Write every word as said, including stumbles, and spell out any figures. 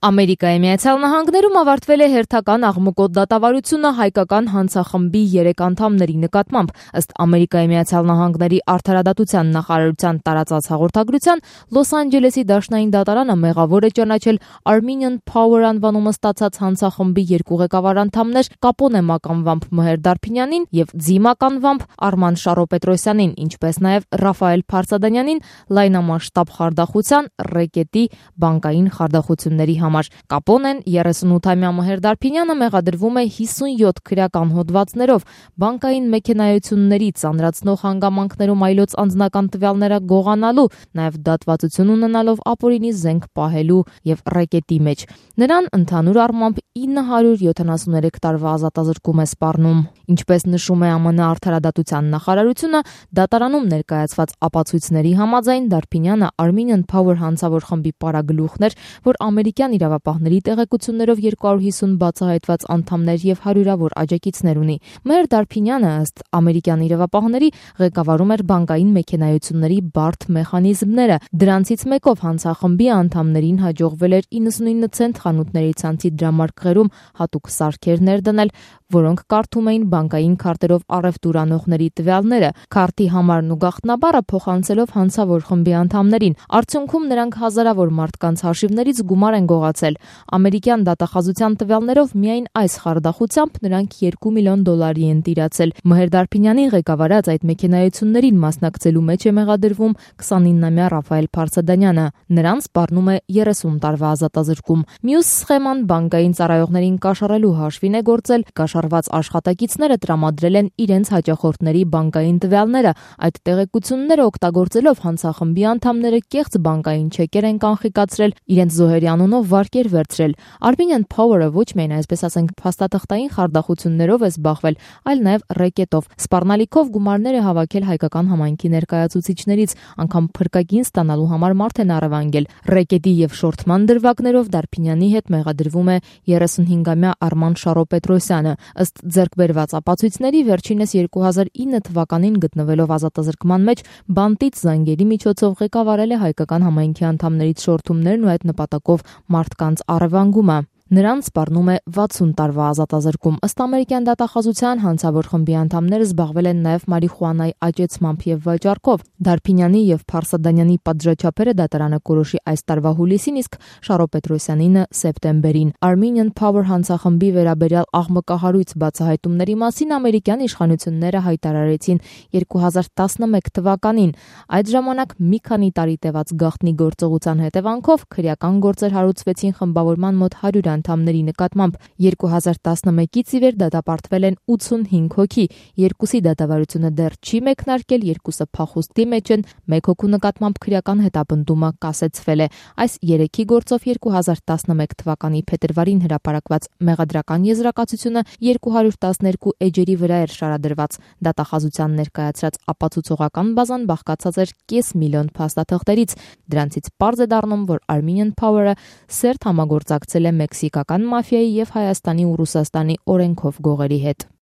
Ամերիկայի Միացյալ Նահանգներում ավարտվել է հերթական աղմկոտ դատավարությունը հայկական հանցախմբի երեք անդամների նկատմամբ։ Ըստ Ամերիկայի Միացյալ Նահանգների արդարադատության նախարարության տարածած հաղորդագրության, Լոս Անջելեսի դաշնային դատարանը մեղավոր է ճանաչել Armenian Power անվանումը ստացած հանցախմբի երկու ղեկավար անդամներ Կապոնե մականվամբ Մհեր Դարփինյանին եւ Ձի մականվամբ Արման Շարո-Պետրոսյանին, ինչպես նաեւ Ռաֆայել Փարսադանյանին լայնամասշտաբ խարդախության, ռեկետի, բանկային խարդախությունների համար։ Կապոնեն երեսունութամյա Մհեր Դարփինյանը մեղադրվում է հիսունյոթ քրեական հոդվածներով, բանկային մեքենայությունների ծանրացնող հանգամանքներում այլոց անձնական տվյալները գողանալու, նաև դատվածություն ունենալով ապօրինի զենք պահելու եւ ռեկետի մեջ։ Նրան ընդհանուր առմամբ ինը հարյուր յոթանասուներեք տարվա ազատազրկում է սպառնում։ Ինչպես նշում է ԱՄՆ արդարադատության նախարարությունը, դատարանում ներկայացված ապացույցների համաձայն Դարփինյանը Armenian Power հանցավոր խմբի պարագլուխն էր, որ ամերիկյան իրավապահների տեղեկություններով երկու հարյուր հիսուն բացահայտված անդամներ եւ հարյուրավոր աջակիցներ ունի։ Մհեր Դարփինյանը, ըստ ամերիկյան իրավապահների, ղեկավարում էր բանկային մեքենայությունների բարդ մեխանիզմները։ Դրանցից մեկով հանցախմբի անդամներին հաջողվել էր իննսունինը ցենտ խանութների ցանցի դրամարկղերում հատուկ սարքեր ներդնել, որոնք կարդում էին բանկային քարտերով առևտուր անողների տվյալները, քարտի համարն ու գաղտնաբառը փոխանցելով հանցավոր խմբի անդամներին։ Արդյունքում նրանք հազարավոր մարդկանց հաշիվներից գումար են գողացել։ Ամերիկյան դատախազության տվյալներով միայն այս խարդախությամբ նրանք երկու միլիոն դոլարի են տիրացել։ Մհեր Դարփինյանին ղեկավարած այդ մեքենայություններին մասնակցելու մեջ է մեղադրվում քսանիննամյա Ռաֆայել Փարսադանյանը։ Նրան սպառնում է երեսուն տարվա ազատազրկում։ Մյուս սխեման բանկային ծառայողներին կաշառելու հաշվին է գործել։ Կաշառված աշխատակիցները տրամադրել են իրենց հաճախորդների բանկային տվյալները։ Այդ տեղեկությունները օգտագործելով հանցախմբի անդամները կեղծ բանկային չեկեր են կանխիկացրել, իրենց զոհերի անունով վարկեր վերցրել։ Armenian Power-ը ոչ միայն, այսպես ասենք, փաստաթղթային խարդախություններով է զբաղվել, այլ նաև ռեկետով։ Սպառնալիքով գումարներ է հավաքել հայկական համայնքի ներկայացուցիչներից, անգամ փրկագին ստանալու համար մարդ են առևանգել։ Ռեկետի եւ շորթման դրվագներով Դարփինյանի հետ մեղադրվում է երեսունհինգամյա Արման Շարո-Պետրոսյանը։ Ըստ ձեռքբերված ապացույցների, վերջինս երկու հազար ինը թվականին գտնվելով ազատազրկման մեջ, բանտից զանգերի միջոցով ղեկավարել է հայկական համայնքի անդամներից շորթումներն ու այդ նպատակով մարդկանց առևանգումը։ Նրան սպառնում է վաթսուն տարվա ազատազրկում։ Ըստ ամերիկյան դատախազության, հանցավոր խմբի անդամները զբաղվել են նաև մարիխուանայի աճեցմամբ եւ վաճառքով։ Դարփինյանի եւ Փարսադանյանի պատժաչափերը դատարանը կորոշի այս տարվա հուլիսին, իսկ Շարո-Պետրոսյանինը սեպտեմբերին։ Armenian Power հանցախմբի վերաբերյալ աղմկահարույց բացահայտումների մասին ամերիկյան իշխանությունները հայտարարեցին երկու հազար տասնմեկ թվականին։ Այդ ժամանակ մի քանի տարի տևած գաղտնի գործողության հետևանքով քրեական գործեր հարուցվեցին խմբավորման մոտ հարյուր անդամների նկատմամբ։ երկու հազար տասնմեկից ի վեր դատապարտվել են ութսունհինգ հոգի, երկուսի դատավարությունը դեռ չի մեկնարկել, երկուսը փախուստի մեջ են, մեկ հոգու նկատմամբ քրեական հետապնդումը կասեցվել է։ Այս երեքի գործով երկու հազար տասնմեկ թվականի փետրվարին հրապարակված մեղադրական եզրակացությունը երկու հարյուր տասներկու էջերի վրա էր շարադրված։ Դատախազության ներկայացրած ապացուցողական բազան բաղկացած էր կես միլիոն փաստաթղթերից։ Դրանցից պարզ է դառնում, որ Armenian Power-ը սերտ համագործակցել է մեքսիկական մաֆիայի եւ Հայաստանի ու Ռուսաստանի օրենքով գողերի հետ։